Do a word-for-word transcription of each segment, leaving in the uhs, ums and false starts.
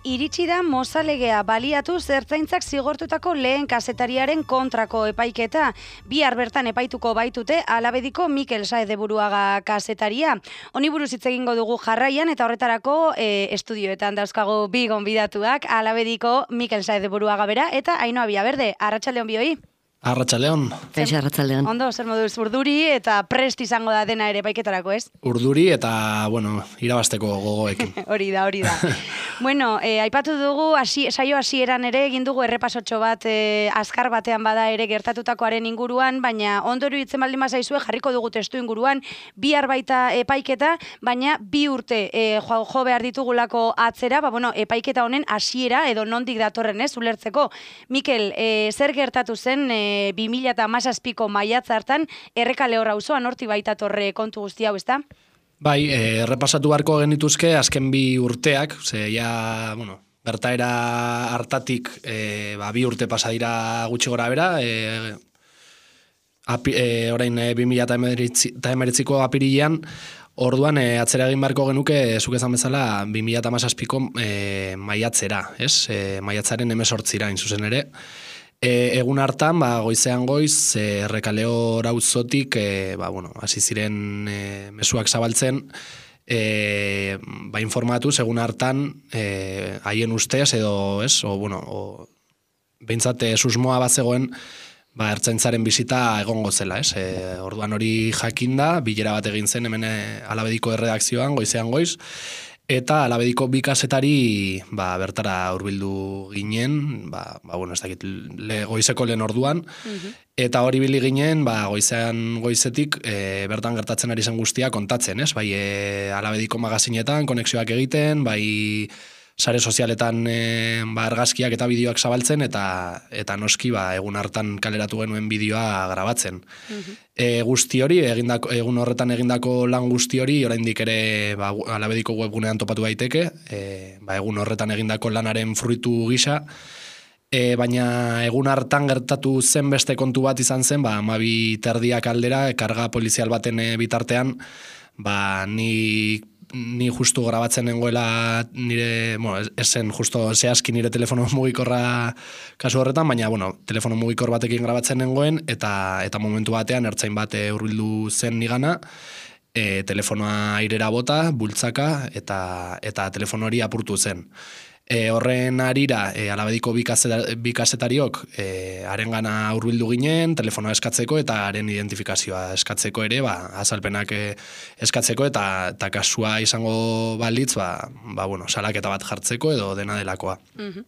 Iritsi da mozalegea baliatu ertzaintzak zigortutako lehen kazetariaren kontrako epaiketa. Bihar bertan epaituko baitute Alabediko Mikel Saez de Buruaga kazetaria. Honi buruz hitz egingo dugu jarraian eta horretarako e, estudioetan dauzkago bi gonbidatuak, Alabediko Mikel Saez de Buruaga bera eta Ainhoa Villaverde. Arratsaldeon bioi. Arratsaldeon. Kaixo, arratsaldeon. Ondo, zer moduz urduri eta prest izango da dena ere epaiketarako, ez? Urduri eta, bueno, irabasteko gogoekin. hori da, hori da. Bueno, eh, aipatu dugu, hasi, saio hasieran ere egin dugu errepasotxo bat eh, azkar batean bada ere gertatutakoaren inguruan, baina ondorio itzen baldin bazaizue jarriko dugu testu inguruan, bihar baita epaiketa, baina bi urte eh, jo, jo behar ditugulako atzera, ba, bueno, epaiketa honen hasiera edo nondik datorren ez, ulertzeko. Mikel, eh, zer gertatu zen eh, bi mila hamazazpiko maiatza hartan Errekale Horra auzoan hortik baita torre kontu guzti hau, ezta? Bai, eh, errepasatu beharko genituzke azken bi urteak, ze ja, bueno, gertaera hartatik eh, ba, bi urte pasa dira gutxi gora bera, eh, api, eh, orain eh, bi mila hemeretziko apirilean, orduan eh, atzera egin beharko genuke, zuk esan bezala, bi mila hamazazpiko eh, maiatzera, ez? Eh, maiatzaren hemezortzira, in zuzen ere. E, egun hartan, ba, goizean goiz, e, Errekale Horra auzotik, e, ba, bueno, hasi ziren e, mezuak zabaltzen, e, ba, informatuz, egun hartan, e, haien ustez, edo, ez, o, bueno, o, behintzat, e, susmoa bat zegoen, ba, ertzaintzaren bizita egongo zela, ez? E, orduan hori jakinda, bilera bat egin zen, hemen Alabediko erredakzioan, goizean goiz, eta Alabediko bi kazetari ba, bertara hurbildu ginen, ba, ba, bueno, ez dakit, le, goizeko lehen orduan, uh-huh. Eta hori bili ginen, ba, goizean goizetik, e, bertan gertatzen ari zen guztia kontatzen, ez? Bai, e, Alabediko magazinetan, konexioak egiten, bai, sare sozialetan e, ba, argazkiak eta bideoak zabaltzen, eta eta noski ba, egun hartan kaleratu genuen bideoa grabatzen. Uh-huh. E, guzti hori, egindako, egun horretan egindako lan guzti hori, oraindik ere ba, Alabediko webgunean topatu daiteke, e, ba, egun horretan egindako lanaren fruitu gisa, e, baina egun hartan gertatu zen beste kontu bat izan zen, ba, hamabi terdiak aldera, karga polizial baten bitartean, ba, ni ni justu grabatzen nengoela nire, bueno, esen justo zehazki nire telefono mugikorra kasu horretan, baina, bueno, telefono mugikor batekin grabatzen nengoen, eta eta momentu batean ertzain bat hurbildu zen nigana, e, telefonoa airera bota, bultzaka, eta eta telefono hori apurtu zen. E, horren arira, e, Alabediko bi kazetariok e, haren gana hurbildu ginen, telefonoa eskatzeko eta haren identifikazioa eskatzeko ere, ba, azalpenak e, eskatzeko eta, eta kasua izango balitz, ba, ba, bueno, salaketa bat jartzeko edo dena delakoa. Mm-hmm.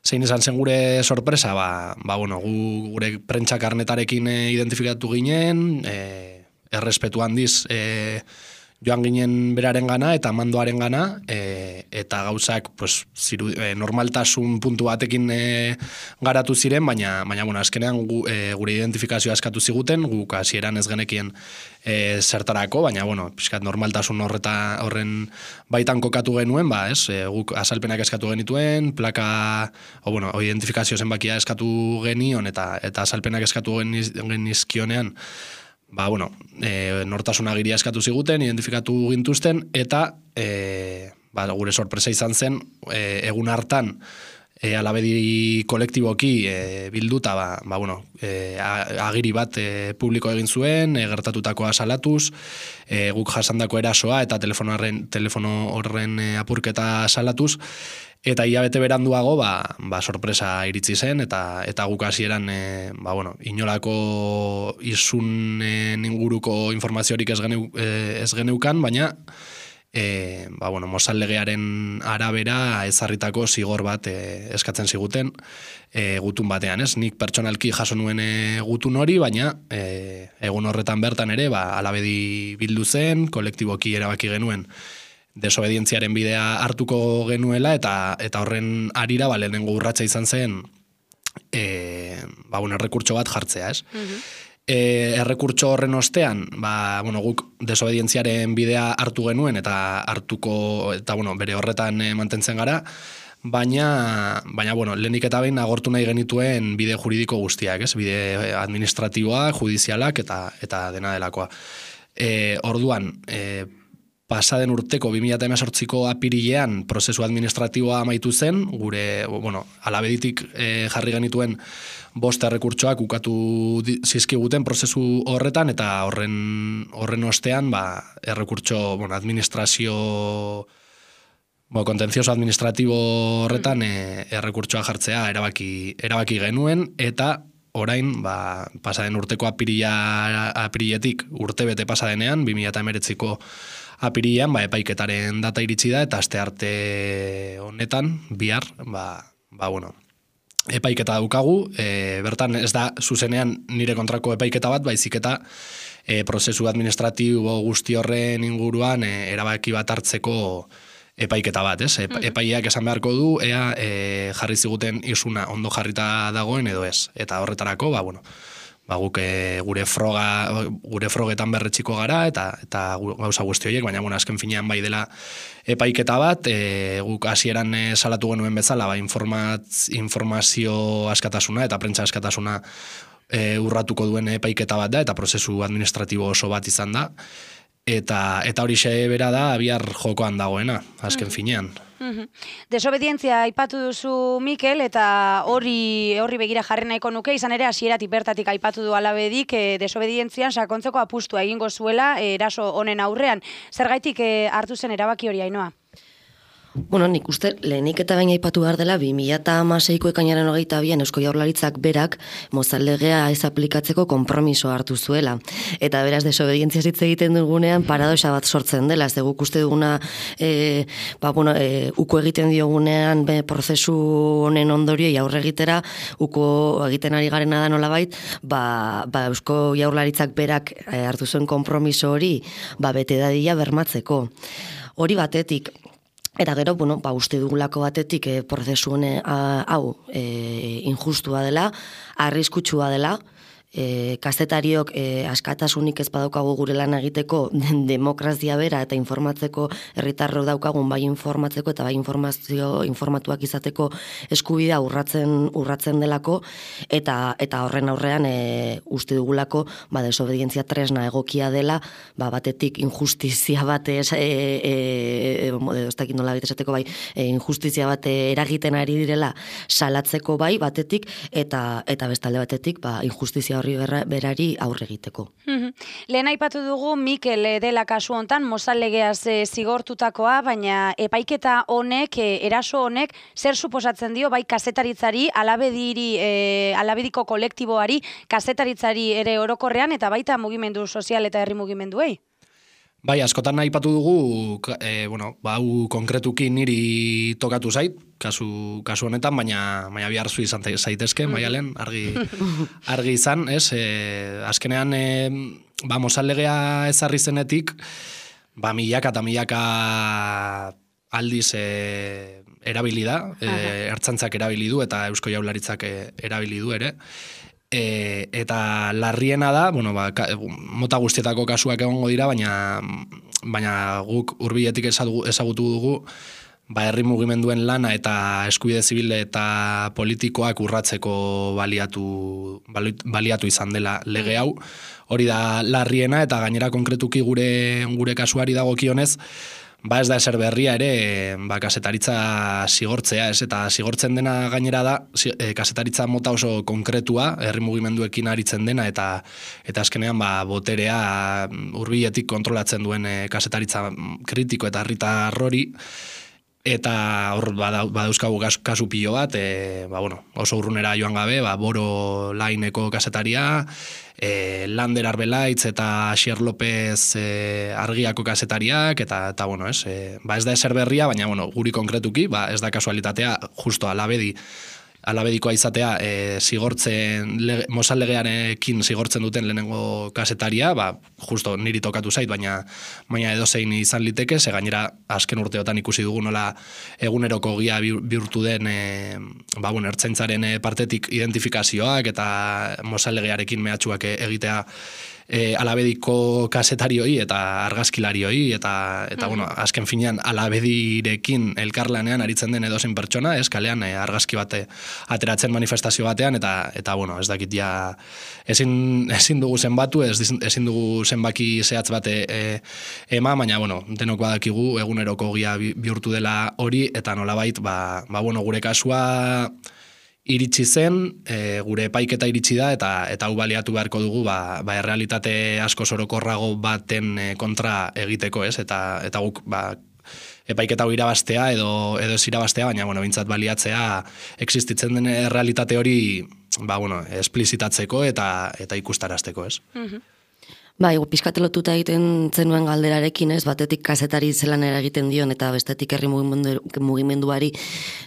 Zein izan zen gure sorpresa, ba, ba, bueno, gu, gure prentsa karnetarekin e, identifikatu ginen, e, errespetu handiz, e, joan ginen beraren gana eta mandoaren gana, e, eta gauzak pues, ziru, e, normaltasun puntu batekin e, garatu ziren, baina, baina bueno, azkenean gu, e, gure identifikazioa eskatu ziguten, guk hasieran ez genekien e, zertarako, baina bueno, pixkat normaltasun horreta, horren baitan kokatu genuen, ba, ez, e, guk azalpenak eskatu genituen, plaka, o bueno, o identifikazio zenbakia eskatu genion, eta, eta azalpenak eskatu genizkionean, ba, bueno, e, nortasun agiria eskatu ziguten, identifikatu gintuzten, eta e, ba, gure sorpresa izan zen, e, egun hartan, e, Alabedi kolektiboki e, bilduta, ba, ba, bueno, e, agiri bat e, publiko egin zuen, e, gertatutakoa salatuz, e, guk jasandako erasoa, eta telefono horren, telefono horren e, apurketa salatuz, eta hilabete beranduago, ba, ba sorpresa iritsi zen, eta eta guk hasieran e, ba, bueno, inolako izunen inguruko informaziorik ez, geneu, e, ez geneukan, baina e, ba, bueno, Mozal legearen arabera ezarritako zigor bat e, eskatzen ziguten e, gutun batean, ez? Nik pertsonalki jaso nuen e, gutun hori, baina e, egun horretan bertan ere, ba, Alabedi bildu zen, kolektiboki erabaki genuen, desobedientziaren bidea hartuko genuela, eta eta horren arira, ba, lehenengo urratsa izan zen, e, ba, bueno, errekurtso bat jartzea, ez? Uh-huh. E, errekurtso horren ostean, ba, bueno, guk desobedientziaren bidea hartu genuen, eta hartuko, eta, bueno, bere horretan e, mantentzen gara, baina, baina, bueno, lehenik eta behin agortu nahi genituen bide juridiko guztiak, ez? Bide administratiboa, judizialak, eta, eta dena delakoa. E, orduan, e, pasaden urteko bi mila hemezortziko apirilean prozesu administratiboa amaitu zen, gure, bueno, alabeditik e, jarri genituen bost errekurtsoak ukatu zizkiguten prozesu horretan, eta horren, horren ostean, ba, errekurtso, bueno, administrazio, bueno, kontentzioso administratibo horretan mm. e, errekurtsoa jartzea erabaki, erabaki genuen, eta orain, ba, pasaden urteko apirila, apiriletik urte bete pasadenean, bi mila hemeretziko apirilean, ba, epaiketaren data iritsi da, eta aste arte honetan, bihar, ba, ba bueno, epaiketa daukagu, e, bertan ez da zuzenean nire kontrako epaiketa bat, baizik eta e, prozesu administratibo guzti horren inguruan e, erabaki bat hartzeko epaiketa bat, ez? E, epaileak esan beharko du, ea e, jarri ziguten isuna ondo jarrita dagoen edo ez. Eta horretarako, ba, bueno, ba, guk e, gure froga, gure frogetan berretxiko gara, eta eta gauza guzti horiek, baina, bueno, azken finean bai dela epaiketa bat, e, guk hasieran e, salatu genuen bezala, ba, informatz, informazio askatasuna eta prentsa askatasuna e, urratuko duen epaiketa bat da, eta prozesu administratibo oso bat izan da, eta eta hori xe bera da bihar jokoan dagoena, azken finean. Mm-hmm. Desobedientzia aipatu duzu, Mikel, eta hori horri begira jarri nahiko nuke, izan ere hasieratik bertatik aipatu du Alabedik, e, desobedientzian sakontzeko apustua egingo zuela e, eraso honen aurrean. Zergaitik e, hartu zen erabaki hori, Ainhoa? Bueno, nik uste, lehenik eta baina aipatu behar dela, bi mila hamaseiko ekainaren hogeita bian Eusko Jaurlaritzak berak mozaldegea ez aplikatzeko konpromiso hartu zuela. Eta beraz, desobedientzia hitz egiten dugunean, paradoxa bat sortzen dela, ez guk uste duguna, e, ba, bueno, e, uko egiten diogunean, be, prozesu honen ondorioi aurre egitera, uko egiten ari garena da nolabait, ba, ba, Eusko Jaurlaritzak berak e, hartu zuen konpromiso hori, ba, bete dadila bermatzeko. Hori batetik, eta gero, bueno, ba, uste dugulako batetik e, prozesu hone, hau e, injustua dela, arriskutsua dela, e, kazetariok e, askatasunik ez badaukagu gure lan egiteko demokrazia bera eta informatzeko herritarrok daukagun bai informatzeko eta bai informazio informatuak izateko eskubidea urratzen urratzen delako eta eta horren aurrean e, uste dugulako ba desobedientzia tresna egokia dela, ba batetik injustizia bat e, e, e, ez dakit nola esateko bai e, injustizia bat eragiten ari direla salatzeko bai batetik eta eta bestalde batetik ba injustizia horri berari aurre egiteko. Lehen aipatu dugu Mikel dela kasu hontan mozallegeaz e, zigortutakoa, baina epaiketa honek, e, eraso honek, zer suposatzen dio bai kazetaritzari, alabediri, e, alabediko kolektiboari, kazetaritzari ere orokorrean, eta baita mugimendu sozial eta herri mugimenduei? Bai, askotan aipatu dugu, e, bueno, ba, hau konkretuki niri tokatu zait, kasu, kasu honetan, baina, baina biharzu izan zaitezke, Maialen, argi, argi izan, ez? E, azkenean, e, ba, mozallegea ezarri zenetik, ba, milaka eta milaka aldiz e, erabili da, e, ertzaintzak erabili du eta Eusko Jaurlaritzak erabili du ere, E, eta larriena da, bueno, ba, ka, mota guztietako kasuak egongo dira, baina, baina guk hurbiletik ezagutu dugu, ba, herri mugimenduen lana eta eskubide zibile eta politikoak urratzeko baliatu, baliatu izan dela lege hau. Hori da larriena eta gainera konkretuki gure, gure kasuari dagokionez, ba ez da ezer berria ere, ba, kasetaritza zigortzea, ez? Eta zigortzen dena gainera da, e, kasetaritza mota oso konkretua, herri mugimenduekin aritzen dena, eta eta azkenean ba, boterea hurbiletik kontrolatzen duen e, kasetaritza kritiko eta herritar hori, eta hor badauzkagu kasu pilo bat, e, ba, bueno, oso urrunera joan gabe, ba, Boro Laineko kasetaria, E, Lander Arbelaitz eta Asier López e, Argiako kazetariak, eta, eta bueno, ez, e, ba ez da ezer berria, baina bueno, guri konkretuki, ba ez da kasualitatea, justo alabedi, alabedikoa izatea, e, zigortzen, mozallegearekin zigortzen duten lehenengo kasetaria, ba, justo niri tokatu zait, baina, baina edozein izan liteke, ze gainera azken urteotan ikusi dugu nola eguneroko gia bihurtu den, e, ba, bueno, ertzaintzaren partetik identifikazioak eta mozallegearekin mehatxuak egitea e, alabediko kasetarioi eta argazkilarioi, eta, eta bueno, azken finean alabedirekin elkarlanean aritzen den edozein pertsona, ez, kalean e, argazki bate ateratzen manifestazio batean, eta, eta bueno, ez dakit ja, ezin, ezin dugu zenbatu, ez, ezin dugu zenbaki zehatz bate e, ema, baina, bueno, denok badakigu eguneroko ogia bihurtu dela hori, eta nolabait, ba, ba bueno, gure kasua iritsi zen, e, gure epaiketa iritsi da, eta eta hau baliatu beharko dugu, ba, ba errealitate asko sorokorrago baten e, kontra egiteko, ez? Eta eta guk ba, epaiketa hau irabaztea edo edo ez irabaztea, baina bueno, bintzat baliatzea existitzen den errealitate hori, ba bueno, esplizitatzeko eta eta ikustarazteko, ez? Mhm. Bai, pizkat lotuta egiten zenuen galderarekin, ez, batetik kazetari zelan egiten dion eta bestetik herri mugimendu, mugimenduari,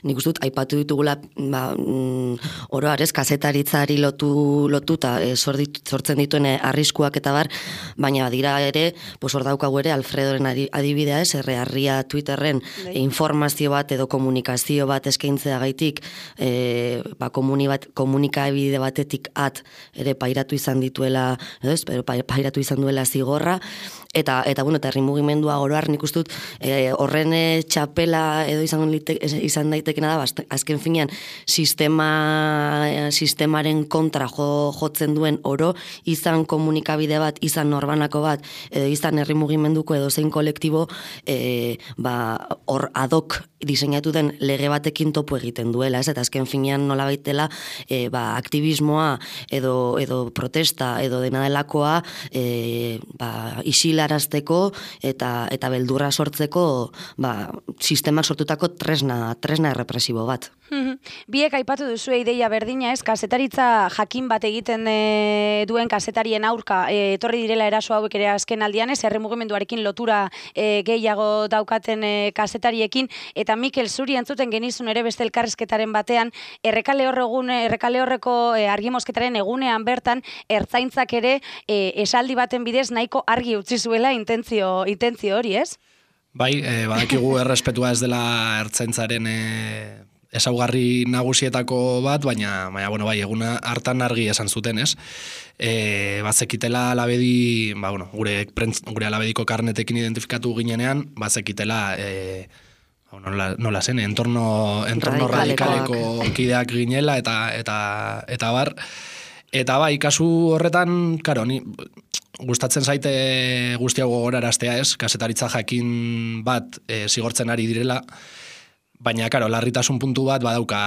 nik uste dut aipatu ditugula, ba, mm, oroar, ez, kazetaritzari lotu lotuta e, sortzen dituen arriskuak eta bar, baina dira ere, pues hor daukagu ere Alfredoren adibidea, ez, erre harria Twitterren e, informazio bat edo komunikazio bat eskaintzea gaitik, e, ba, komuni bat, komunikabide batetik at ere pairatu izan dituela, ez, pero pairatu izan duela zigorra, eta, eta bueno, eta herri mugimendua oroar nik uste dut e, horren txapela edo izan, izan daitekena da, bast, azken finean sistema, sistemaren kontra jo, jotzen duen oro, izan komunikabide bat, izan norbanako bat, edo izan herri mugimenduko edo zein kolektibo, e, ba, hor adok diseinatu den lege batekin topo egiten duela, ez? Eta azken finean nola baitela, e, ba, aktivismoa edo, edo protesta edo dena delakoa, e, ba, isilarazteko eta eta beldurra sortzeko, ba, sistemak sortutako tresna, tresna errepresibo bat. Biek aipatu duzu ideia berdina, ez, kasetaritza jakin bat egiten e, duen kasetarien aurka e, etorri direla eraso hauek ere azken aldian, ez, herri mugimenduarekin lotura e, gehiago daukaten e, kasetariekin, eta Mikel zuri entzuten genizun ere beste elkarrizketaren batean, errekale horregun, errekale horreko e, argimosketaren egunean bertan, ertzaintzak ere e, esaldi baten bidez nahiko argi utzi zuela intentzio, intentzio hori, ez? Bai, e, badakigu errespetua ez dela ertzaintzaren e, ezaugarri nagusietako bat, baina, baina bueno, bai, eguna hartan argi esan zuten, ez? E, bazekitela alabedi, ba, bueno, gure, prentz, gure alabediko karnetekin identifikatu ginenean, bazekitela, e, nola, nola zen, entorno, entorno radikaleko kideak ginela, eta, eta, eta bar, eta bai, kasu horretan, karo, ni gustatzen zaite guztia gogoraraztea, ez? Kasetaritza jakin bat e, zigortzen ari direla, baina, karo, larritasun puntu bat badauka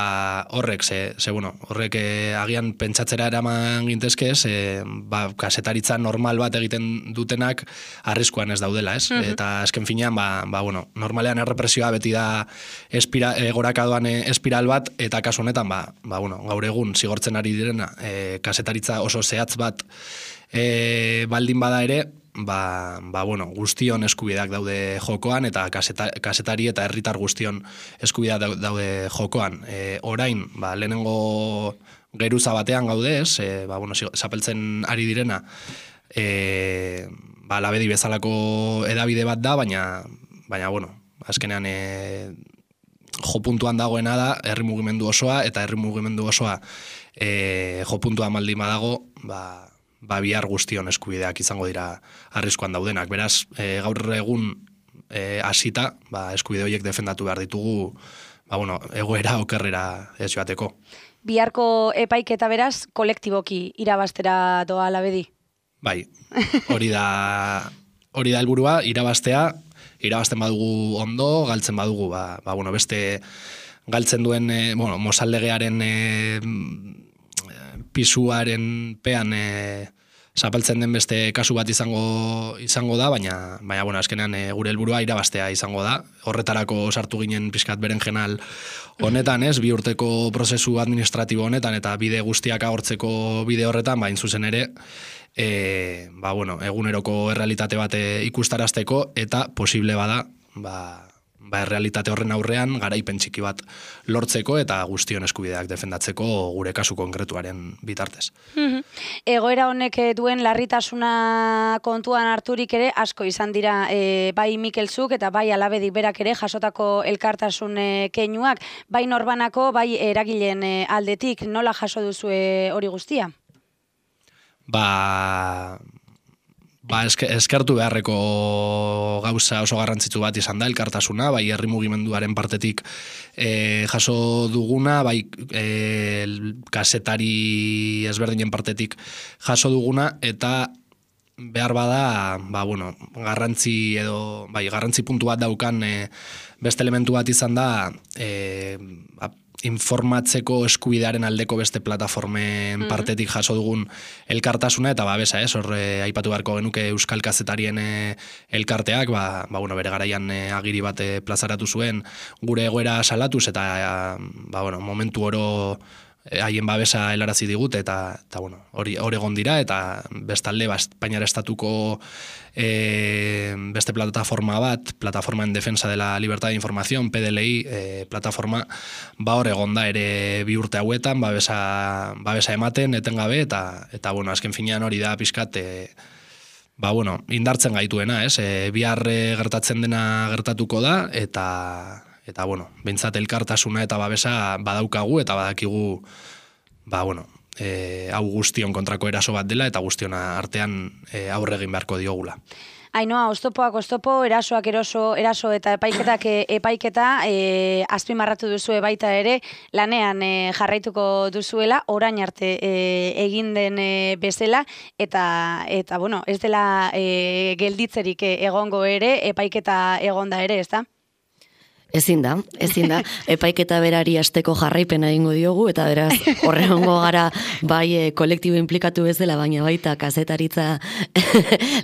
horrek, ze, ze bueno, horrek eh, agian pentsatzera eraman gintezke, ze, ba, kasetaritza normal bat egiten dutenak arriskuan ez daudela, ez? Mm-hmm. Eta azken finean, ba, ba, bueno, normalean errepresioa beti da espira, e, gorakadoan e, espiral bat, eta kasu honetan, ba, ba, bueno, gaur egun zigortzen ari direna, e, kasetaritza oso zehatz bat e, baldin bada ere, ba, ba bueno, guztion eskubideak daude jokoan, eta kaseta, kasetari eta herritar guztion eskubideak daude jokoan. E, orain, ba, lehenengo geruza batean gaude, ez, e, ba, bueno, zapeltzen ari direna, e, ba, labedi bezalako edabide bat da, baina, baina bueno, azkenean e, jo puntuan dagoena da, herri mugimendu osoa, eta herri mugimendu osoa e, jo puntua maldin badago, ba, ba bihar guztion eskubideak izango dira arriskuan daudenak. Beraz, e, gaur egun e, hasita, ba, eskubide horiek defendatu behar ditugu, ba, bueno, egoera okerrera ez joateko. Biharko epaiketa beraz, kolektiboki irabaztera doa alabedi? Bai, hori da hori da helburua, irabaztea, irabazten badugu ondo, galtzen badugu, ba, ba bueno, beste galtzen duen, e, bueno, mozaldegearen e, pisuaren pean e, zapaltzen den beste kasu bat izango izango da, baina baina bueno, azkenean e, gure helburua irabaztea izango da. Horretarako sartu ginen pixkat beren jenal honetan, ez, bi urteko prozesu administratibo honetan eta bide guztiak agortzeko bide horretan, bain zuzen ere, e, ba, bueno, eguneroko errealitate bat ikustarazteko eta posible bada, ba, ba, errealitate horren aurrean garaipen txiki bat lortzeko eta guztion eskubideak defendatzeko gure kasu konkretuaren bitartez. Mm-hmm. Egoera honek duen larritasuna kontuan harturik ere asko izan dira e, bai Mikel zuk eta bai alabedik berak ere jasotako elkartasun e, keinuak, bai norbanako, bai eragileen e, aldetik, nola jaso duzu hori guztia? Ba... ba, eske, eskertu beharreko gauza oso garrantzitsu bat izan da, elkartasuna, bai herri mugimenduaren partetik e, jaso duguna, bai e, kazetari ezberdinen partetik jaso duguna, eta behar bada, ba, bueno, garrantzi edo, bai, garrantzi puntu bat daukan e, beste elementu bat izan da, e, ba, informatzeko eskubidearen aldeko beste plataformen mm-hmm. partetik jaso dugun elkartasuna, eta babesa, ez, hor e, aipatu beharko genuke Euskal Kazetarien e, elkarteak, ba, ba, bueno, bere garaian e, agiri bat e, plazaratu zuen gure egoera salatuz, eta e, ba, bueno, momentu oro haien babesa helarazi digut, eta, eta bueno, hori hori egon dira, eta bestalde ba, Espainiar estatuko e, beste plataforma bat, Plataforma en Defensa de la Libertad de Información, P D L I, e, plataforma, ba hor egon da ere bi urte hauetan, babesa, babesa ematen, etengabe, eta, eta bueno, azken finean hori da pixkat, e, ba bueno, indartzen gaituena, ez? E, bihar e, gertatzen dena gertatuko da, eta eta bueno, behintzat elkartasuna eta babesa badaukagu eta badakigu, ba bueno, e, hau guztion kontrako eraso bat dela eta guztiona artean e, aurre egin beharko diogula. Ainoa, oztopoak oztopo, erasoak eroso, eraso eta epaiketak epaiketa, e, azpimarratu duzue baita ere, lanean e, jarraituko duzuela, orain arte e, egin den e, bezala, eta, eta bueno, ez dela e, gelditzerik egongo ere, epaiketa egonda ere, ez da? Ezin da, ezin da, epaiketa berari asteko jarraipena egingo diogu, eta beraz, horrengo gara bai e, kolektibo implikatu ez dela, baina baita kazetaritza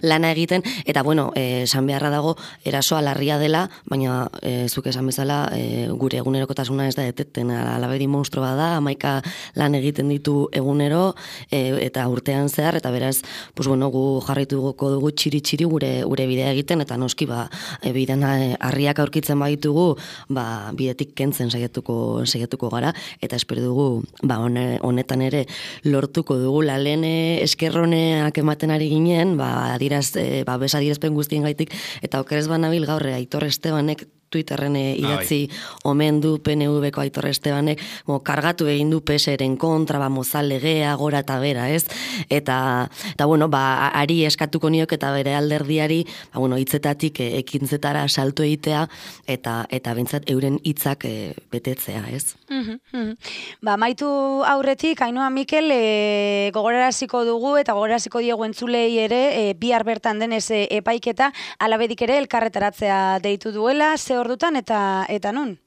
lana egiten, eta bueno, esan beharra dago, erasoa larria dela, baina e, zuk esan bezala, e, gure egunerokotasuna ez da eteten, alabedi monstruoa da, hamaika lan egiten ditu egunero, e, eta urtean zehar, eta beraz, pues bueno, gu jarraituko dugu txiri-txiri gure, gure bidea egiten, eta noski, ba, e, bidean harriak aurkitzen baitugu, ba, bidetik kentzen saiatuko saiatuko gara, eta espero dugu ba, honetan ere lortuko dugu lalene eskerroneak ematen ari ginen, ba, adiraz, e, ba, besadirazpen guztien gaitik, eta okerez banabil gaur Aitor Estebanek Twitterren idatzi omen du P N V-ko Aitor Estebanek, mo, kargatu egin du P S eren kontra, ba, mozal legea, gora eta bera, ez? Eta, eta bueno, ba, ari eskatuko niok eta bere alderdiari, ba, bueno, hitzetatik e, ekintzetara salto egitea, eta eta bentsat euren hitzak e, betetzea, ez? Mm-hmm, mm-hmm. Ba, maitu aurretik, Ainoa Mikel, e, gogoraraziko dugu, eta gogoraraziko diegu entzulei ere, e, bihar bertan denez e, epaiketa, alabedik ere elkarretaratzea deitu duela, ze ordutan eta eta nun?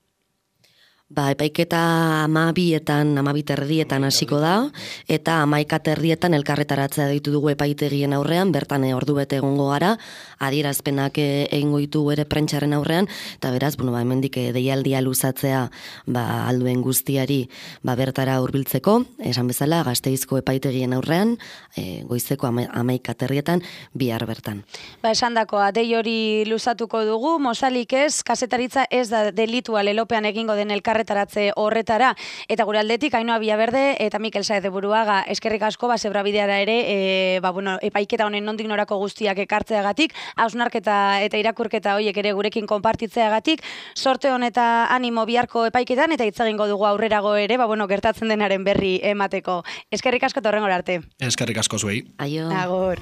Ba, epaiketa amabietan, amabiterrietan hasiko da, eta amaika terrietan elkarretaratzea ditu dugu epaitegien aurrean, bertan ordu bete egongo gara, adierazpenak egingo ditu ere prentxaren aurrean, eta beraz, bueno, ba, hemendik deialdia luzatzea ba, alduen guztiari ba, bertara hurbiltzeko, esan bezala, Gasteizko epaitegien aurrean, e, goizeko ama, amaika terrietan, bihar bertan. Ba, esan dakoa, dei hori luzatuko dugu, mozalik ez, kazetaritza ez da delitua lelopean egingo den elkarretaratzea taratze horretara, eta gure aldetik Ainoa Villaverde eta Mikel Saez de Buruaga eskerrik asko, ba, zebra bideara ere, e, ba, bueno, epaiketa honen nondik norako guztiak ekartzeagatik, hausnarketa eta irakurketa horiek ere gurekin konpartitzeagatik, sorte hon eta animo biharko epaiketan, eta hitz egingo dugu aurrerago ere, ba, bueno, gertatzen denaren berri emateko. Eskerrik asko eta horrengora arte. Eskerrik asko zuei. Aio. Agor.